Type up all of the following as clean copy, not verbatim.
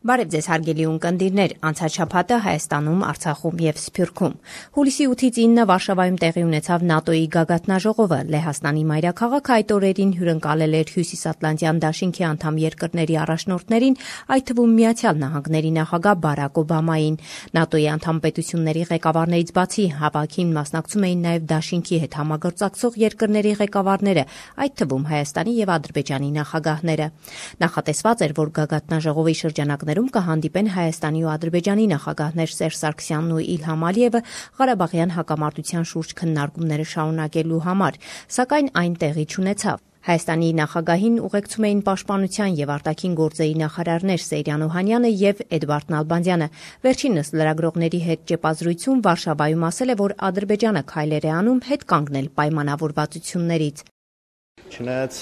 Բարև ձեզ հարգելի ունկնդիրներ, անցած շաբաթը Հայաստանում, Արցախում եւ Սփյուռքում։ Հուլիսի 8-ից 9 Վարշավայում տեղի ունեցավ ՆԱՏՕ-ի գագաթնաժողովը։ Լեհաստանի մայրաքաղաքը այդ օրերին հյուրընկալել էր Հյուսիսատլանտյան դաշինքի անդամ երկրների առաջնորդներին, այդ թվում Միացյալ Նահանգների նախագահ Բարաք Օբամային։ ՆԱՏՕ-ի անդամ պետությունների ղեկավարներից բացի հավաքին մասնակցում էին նաեւ դաշինքի հետ համագործակցող երկրների ղեկավարները, այդ թվում Հայաստանի եւ Ադրբեջանի նախագահները։ Նախատեսված էր, որ գագաթնաժողովի շրջանակներում կհանդիպեն Հայաստանի ու Ադրբեջանի նախագահներ Սերժ Սարգսյանն ու Իլհամ Ալիևը Ղարաբաղյան հակամարտության շուրջ քննարկումները շարունակելու համար, սակայն այն տեղի չունեցավ։ Հայաստանի նախագահին ուղեկցում էին պաշտպանության եւ արտաքին գործերի նախարարներ Սեյրան Օհանյանը եւ Էդվարդ Նալբանդյանը։ Վերջինս լրագրողների հետ ճեպազրույցում Վարշավայում ասել է, որ Ադրբեջանը քայլեր է անում հետ կանգնել պայմանավորվածություններից։ Չնայած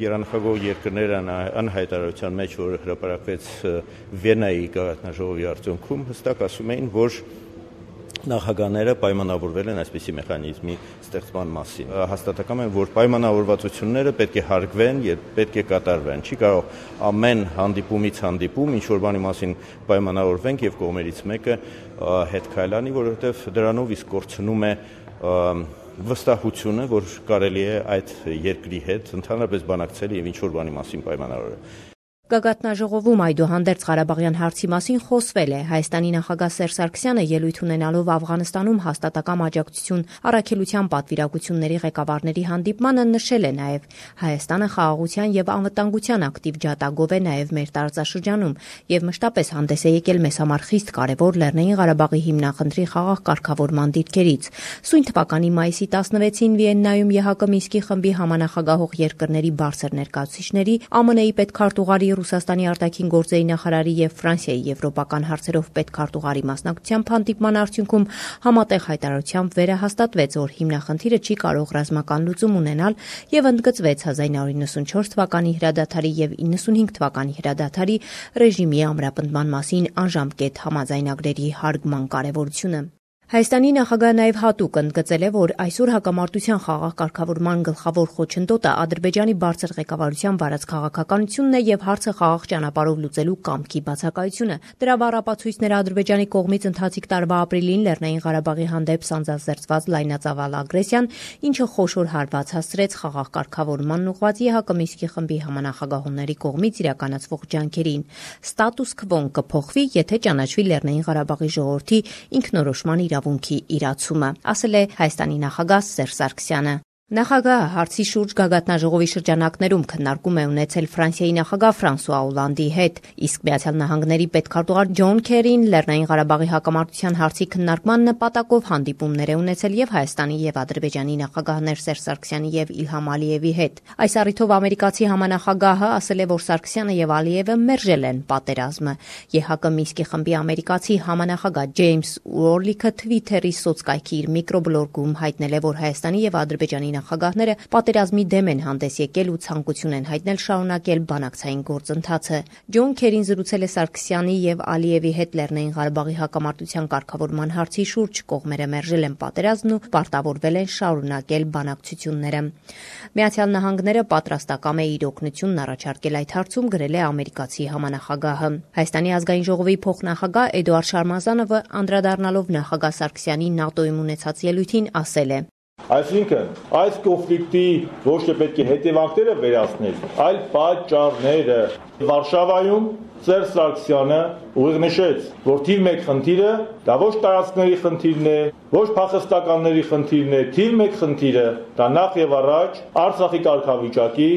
երանախագահ երկրները անհայտարարության մեջ, որ հրապարակվեց Վիեննայի գագաթնաժողովի արդյունքում, հստակ ասում էին, որ նախագահները պայմանավորվել են այսպիսի մեխանիզմի ստեղծման մասին։ Հաստատակամ են, որ պայմանավորվածությունները պետք է հարգվեն եւ պետք է կատարվեն։ Չի կարող ամեն հանդիպումից հանդիպում ինչ-որ բանի մասին պայմանավորվենք եւ կողմերից մեկը հետ քայլանի, որովհետեւ դրանով իսկ կորցնում է վստահությունը, որ կարելի է այդ երկրի հետ ընդհանրապես բանակցել եւ ինչ-որ բանի մասին պայմանավորել։ Գագաթնաժողովում այդուհանդերձ Ղարաբաղյան հարցի մասին խոսվել է։ Հայաստանի նախագահ Սերժ Սարգսյանը ելույթ ունենալով Աֆղանստանում հաստատակամ աջակցություն առաքելության պատվիրակությունների ղեկավարների հանդիպմանը նշել է նաև Հայաստանը խաղաղության եւ անվտանգության ակտիվ ջատագով է նաև մեր տարածաշրջանում եւ մշտապես հանդես է եկել մեզ համար խիստ կարեւոր Լեռնային Ղարաբաղի հիմնախնդրի խաղաղ կարգավորման դիրքերից։ Սույն թվականի մայիսի 16-ին Վիեննայում ԵՀԿ Մինսկի խմբի համանախագահող երկրների բարձր ներկայացուցիչների ԱՄՆ-ի պետքարտուղարի Ռուսաստանի արտաքին գործերի նախարարի եւ Ֆրանսիայի եվրոպական հարցերով պետքարտուղարի մասնակցությամբ հանդիպման արդյունքում համատեղ հայտարարությամբ վերահաստատվեց, որ հիմնախնդիրը չի կարող ռազմական լուծում ունենալ եւ ընդգծվեց 1994 թվականի հրադադարի եւ 95 թվականի հրադադարի ռեժիմի ամրապնդման մասին անժամկետ համաձայնագրերի հարգման կարեւորությունը։ Հայաստանի նախագահը նաև հատուկ ընդգծել է, որ այսօր հակամարտության խաղաղ կարգավորման գլխավոր խոչընդոտը Ադրբեջանի բարձր ղեկավարության վարած քաղաքականությունն է եւ հարցը խաղաղ ճանապարհով լուծելու կամքի բացակայությունը։ Դրա բառապացույցները Ադրբեջանի կողմից ընթացիկ տարվա ապրիլին Լեռնային Ղարաբաղի հանդեպ սանձազերծված լայնածավալ ագրեսիան, ինչը խոշոր հարված հասցրեց խաղաղ կարգավորմանն ուղղված ԵՀԿ Մինսկի խմբի համանախագահողների կողմից իրականացվող ջանքերին։ Ստատուս քվոն կփոխվի, եթե ճանաչվի Լեռնային Ղարաբաղի ժողովրդի ինքնորոշման իրավունքի իրացումը, ասել է Հայաստանի նախագահ Սերժ Սարգսյանը։ Նախագահը հարցի շուրջ գագաթնաժողովի շրջանակներում քննարկում է ունեցել Ֆրանսիայի նախագահ Ֆրանսուଆ Օլանդի հետ, իսկ Միացյալ Նահանգների պետքարտուղար Ջոն Քերին Լեռնային Ղարաբաղի հակամարտության հարցի քննարկման նպատակով հանդիպումներ է ունեցել եւ Հայաստանի եւ Ադրբեջանի նախագահներ Սերժ Սարգսյանի եւ Իլհամ Ալիևի հետ։ Այս առիթով ամերիկացի համանախագահը ասել է, որ Սարգսյանը եւ Ալիևը մերժել են պատերազմը։ ԵՀԿ Մինսկի խմբի ամերիկացի համանախագահ Ջեյմս Ուորլիքը Twitter-ի սոցկայքի իր միկրոբլոգում հայտնել է, որ Հայաստանի եւ Ադրբեջանի նախագահները պատերազմի դեմ են հանդես եկել ու ցանկություն են հայտնել շարունակել բանակցային գործընթացը։ Ջոն Քերին զրուցել է Սարգսյանի եւ Ալիևի հետ Լեռնային Ղարաբաղի հակամարտության կարգավորման հարցի շուրջ, կողմերը մերժել են պատերազմն ու պարտավորվել են շարունակել բանակցությունները։ Միացյալ Նահանգները պատրաստակամ է իր օգնությունն առաջարկել այդ հարցում, գրել է ամերիկացի համանախագահը։ Հայաստանի ազգային ժողովի փոխնախագահ Էդուարդ Շարմազանովը անդրադառնալով նախագահ Սարգսյանի ՆԱՏՕ-ում ունեցած ելույթին ասել է. Այսինքն, այս կոնֆլիկտի ոչ թե պետք է հետևանքները վերացնել, այլ պատճառները։ Վարշավայում Սերժ Սարգսյանը ուղիղ նշեց, որ թիվ 1 խնդիրը դա ոչ տարածքների խնդիրն է, ոչ փախստականների խնդիրն է, թիվ 1 խնդիրը դա նախ եւ առաջ Արցախի կարգավիճակի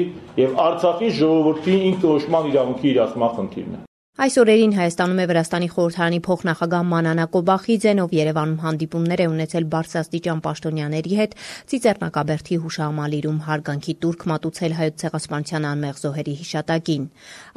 եւ Արցախի ժողովրդի ինքնորոշման իրավունքի իրացման խնդիրն է։ Այս օրերին Հայաստանում է Վրաստանի խորհրդարանի փոխնախագահ Մանանա Կոբախիձեն, ով Երևանում հանդիպումներ է ունեցել բարձրաստիճան պաշտոնյաների հետ, Ծիծեռնակաբերդի հուշահամալիրում հարգանքի տուրք մատուցել Հայոց ցեղասպանության անմեղ զոհերի հիշատակին։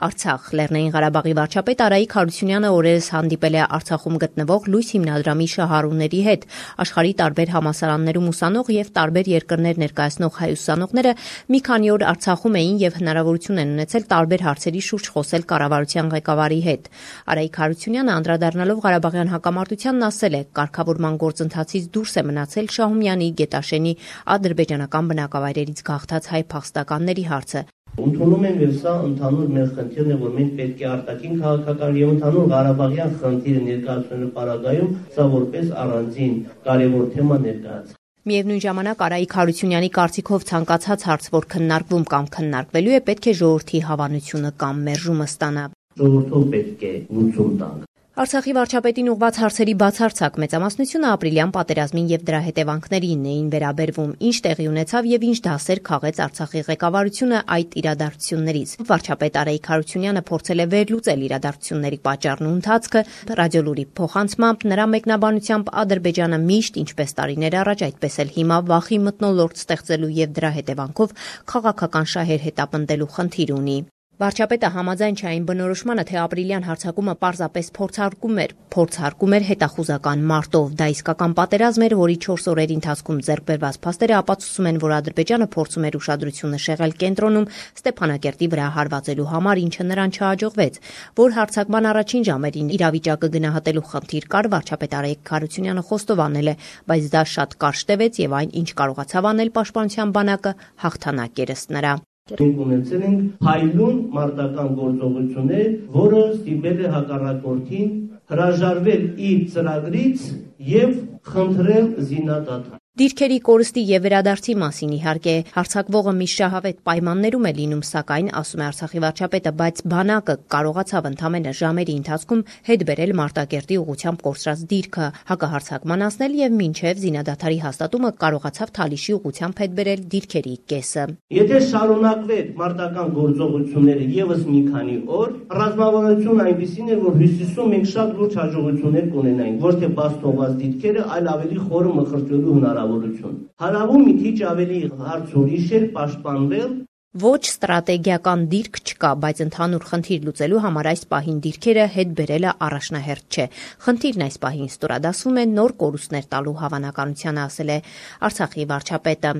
Արցախ Լեռնային Ղարաբաղի վարչապետ Արայիկ Հարությունյանը օրերս հանդիպել է Արցախում գտնվող Լույս հիմնադրամի շահառուների հետ։ Աշխարհի տարբեր համալսարաններում ուսանող եւ տարբեր երկրներ ներկայացնող հայ ուսանողները մի քանի օր Արցախում էին եւ հնարավորություն են ունեցել տարբեր հարցերի շուրջ խոսել կառավարության ղեկավարի հետ։ Արայիկ Հարությունյանը անդրադառնալով Ղարաբաղյան հակամարտությանն ասել է, կարգավորման գործընթացից դուրս է մնացել Շահումյանի, Գետաշենի ադրբեջանական բնակավայրերից գաղթած հայ փախստականների հարցը։ Ընդունում եմ եւ սա ընդհանուր մեր խնդիրն է, որ մենք պետք է արտաքին քաղաքական եւ ընդհանուր Ղարաբաղյան խնդիրը ներկայացնելու պարագայում սա որպես առանձին կարևոր թեմա ներկայացնել։ Միևնույն ժամանակ Արայիկ Հարությունյանի կարծիքով ցանկացած հարց, որ քննարկվում կամ քննարկվելու է, պետք է ժողովրդի հավանությունը կամ մերժումը ստանա։ Ժողովրդով պետք է լուծում տանք։ Արցախի վարչապետին ուղղված հարցերի բացարձակ մեծամասնությունը ապրիլյան պատերազմին եւ դրա հետևանքներին էին վերաբերվում, ինչ տեղի ունեցավ եւ ինչ դասեր քաղեց Արցախի ղեկավարությունը այդ իրադարձություններից։ Վարչապետ Արայիկ Հարությունյանը փորձել է վերլուծել իրադարձությունների պատճառն ու ընթացքը, ռադիոլուրի փոխանցմամբ նրա մեկնաբանությամբ Ադրբեջանը միշտ, ինչպես տարիներ առաջ, այդպես էլ հիմա վախի մթնոլորտ ստեղծելու եւ դրա հետևանքով քաղաքական շահեր հետապնդելու խնդիր ունի։ Վարչապետը համաձայն չէ այն բնորոշմանը, թե ապրիլյան հարձակումը պարզապես փորձարկում էր հետախուզական մարտով։ Դա իսկական պատերազմ էր, որի 4 օրերի ընթացքում ձեռք բերված փաստերը ապացուցում են, որ Ադրբեջանը փորձում էր ուշադրությունը շեղել կենտրոնում Ստեփանակերտի վրա հարվածելու համար, ինչը նրան չհաջողվեց։ Որ հարձակման առաջին ժամերին իրավիճակը գնահատելու խնդիր կար, վարչապետ Արայիկ Հարությունյանը խոստովանել է, բայց դա շատ կարճ տևեց եւ այն, ինչ կարողացավ անել պաշտպանության բանակը, հաղթանակ էր ըստ նրա։ Մենք ունեցել ենք փայլուն մարտական գործողություններ, որը ստիպել է հակառակորդին հրաժարվել իր ծրագրից եւ խնդրել զինադադար։ Դիրքերի կորստի եւ վերադարձի մասին իհարկե հարձակվողը մի շահավետ պայմաններում է լինում, սակայն, ասում է Արցախի վարչապետը, բայց բանակը կարողացավ ընդամենը ժամերի ընթացքում հետ բերել Մարտակերտի ուղղությամբ կորսրած դիրքը, հակահարձակման անցնել եւ մինչեւ զինադադարի հաստատումը կարողացավ Թալիշի ուղղությամբ հետ բերել դիրքերի կեսը։ Եթե շարունակվեր մարտական գործողությունները եւս մի քանի օր, ռազմավարությունը այնպեսին էր, որ հյուսիսում մենք շատ լուրջ հաջողություններ կունենայինք, ոչ թե բաց թողած դիրքերը, այլ ավելի խորը մխրճելու հնարավորություն։ Հարավում մի քիչ ավելի հարց ուրիշ էր պաշտպանվել։ Ոչ ստրատեգիական դիրք չկա, բայց ընդհանուր խնդիր լուծելու համար այս պահին դիրքերը հետ բերելը առաջնահերթ չէ։ Խնդիրն այս պահին ստորադասվում է նոր կորուստներ տալու հավանականությանը, ասել է Արցախի վարչապետը։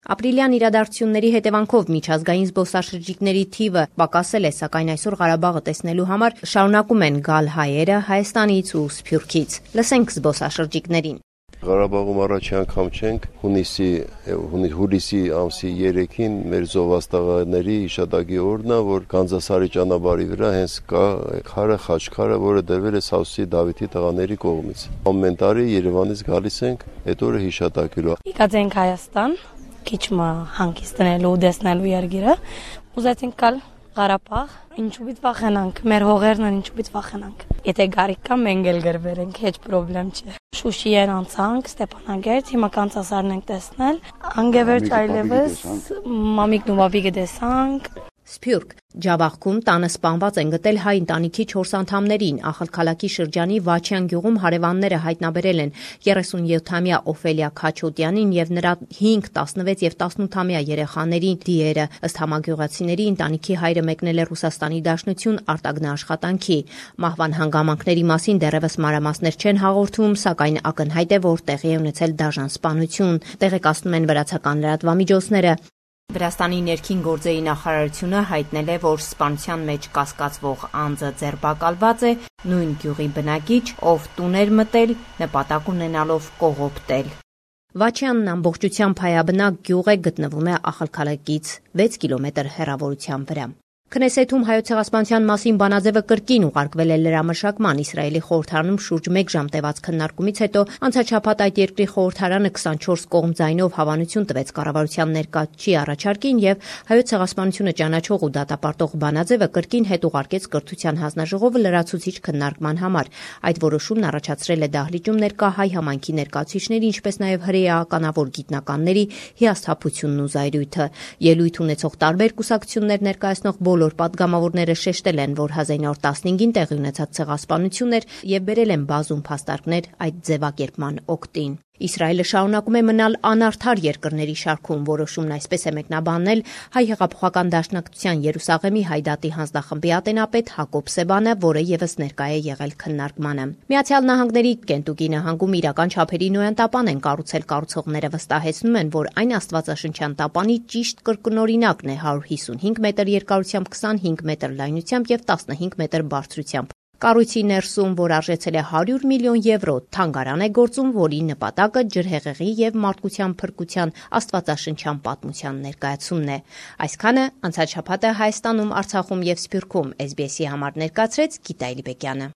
Ապրիլյան իրադարձությունների հետևանքով միջազգային զբոսաշրջիկների թիվը պակասել է, սակայն այսօր Ղարաբաղը տեսնելու համար շարունակում են գալ հայերը Հայաստանից ու Սփյուռքից։ Լսենք զբոսաշրջիկներին։ Ղարաբաղում առաջի անգամ չենք, հուլիսի ամսի 3-ին մեր զովաստաղաների հիշատակի օրն է, որ Գանձասարի ճանապարհի վրա հենց կա քարը, խաչքարը, որը դրվել է Սավսի Դավիթի տղաների կողմից։ Ամեն տարի Երևանից գալիս ենք այդ օրը հիշատակելու։ Եկած ենք Հայաստան, քիչ հանգստանալու ու տեսնելու երկիրը, ուզեցինք գալ Ղարաբաղ, ինչու՞ պիտի վախենանք, մեր հողերն են, ինչու՞ պիտի վախենանք։ Եթե գարիք կա, մենք էլ գրվենք, հեչ պրոբլեմ չէ։ Շուշիեն անցանք, Ստեփանագերտ, հիմա Կանցասարն ենք տեսնել, անգևերջ այլևս մամիկն ու բաբիկը տեսանք։ Սփյուռք Ջավախքում տանը սպանված են գտել հայ ընտանիքի 4 անդամներին։ Ախալքալաքի շրջանի Վաչյան գյուղում հարևանները հայտնաբերել են 37-ամյա Օֆելիա Քաչոտյանին եւ նրա 5, 16 եւ 18-ամյա երեխաներին դիերը։ Ըստ համագյուղացիների ընտանիքի հայրը մեկնել է Ռուսաստանի Դաշնություն արտագնաաշխատանքի։ Մահվան հանգամանքների մասին դեռևս մանրամասներ չեն հաղորդում, սակայն ակնհայտ է, որ տեղի է ունեցել դաժան սպանություն։ Տեղեկացնում են վրացական լրատվամիջոցները։ Վրաստանի ներքին գործերի նախարարությունը հայտնել է, որ սպանության մեջ կասկածվող անձը ձերբակալված է, նույն գյուղի բնակիչ, ով տուն էր մտել, նպատակ ունենալով կողոպտել։ Վաչյանն ամբողջությամբ հայաբնակ գյուղ է, գտնվում է Ախալքալակից 6 կիլոմետր հեռավորության վրա։ Քնեսեթում հայոց ցեղասպանության մասին բանաձևը կրկին ուղարկվել է լրամշակման։ Իսրայելի խորհրդարանում շուրջ 1 ժամ տևած քննարկումից հետո անցաչափած այդ երկրի խորհրդարանը 24 կողմ ձայնով հավանություն տվեց կառավարության ներկայացուցիչի առաջարկին եւ հայոց ցեղասպանությունը ճանաչող ու դատապարտող բանաձևը կրկին հետ ուղարկեց կրթության հանձնաժողովը լրացուցիչ քննարկման համար։ Այդ որոշումն առաջացրել է դահլիճում ներկա հայ համայնքի ներկայացուցիչների, ինչպես նաեւ հրեականավոր գիտնականների հիասթափությունն ու զայրույթը։ Ելույթ ունեցող տարբեր կուսակցություններ ներկայացնող բոլոր պատգամավորները շեշտել են, որ 1915-ին տեղի ունեցած ցեղասպանություններ եւ բերել են բազում փաստարկներ այդ ձևակերպման օգտին։ Իսրայելը շարունակում է մնալ անարդար երկրների շարքում, որոշումն այսպես է մեկնաբանել Հայ հեղափոխական դաշնակցության Երուսաղեմի Հայդատի հանձնախմբի ատենապետ Հակոբ Սեբանը, որը եւս ներկա է եղել քննարկմանը։ Միացյալ Նահանգների Կենտուկի նահանգում իրական չափերի նոյան տապան են կառուցել, կառուցողները վստահեցնում են, որ այն աստվածաշնչյան տապանի ճիշտ կրկնօրինակն է 155 մետր երկարությամբ, 25 մետր լայնությամբ եւ 15 մետր բարձրությամբ։ Կառույցի ներսում, որ արժեցել է 100 միլիոն եվրո, թանգարան է գործում, որի նպատակը ջրհեղեղի եւ մարդկության փրկության աստվածաշնչյան պատմության ներկայացումն է։ Այսքանը անցած շաբաթը Հայաստանում, Արցախում եւ Սփյուռքում SBS-ի համար ներկայացրեց Գիտա Իլիբեկյանը։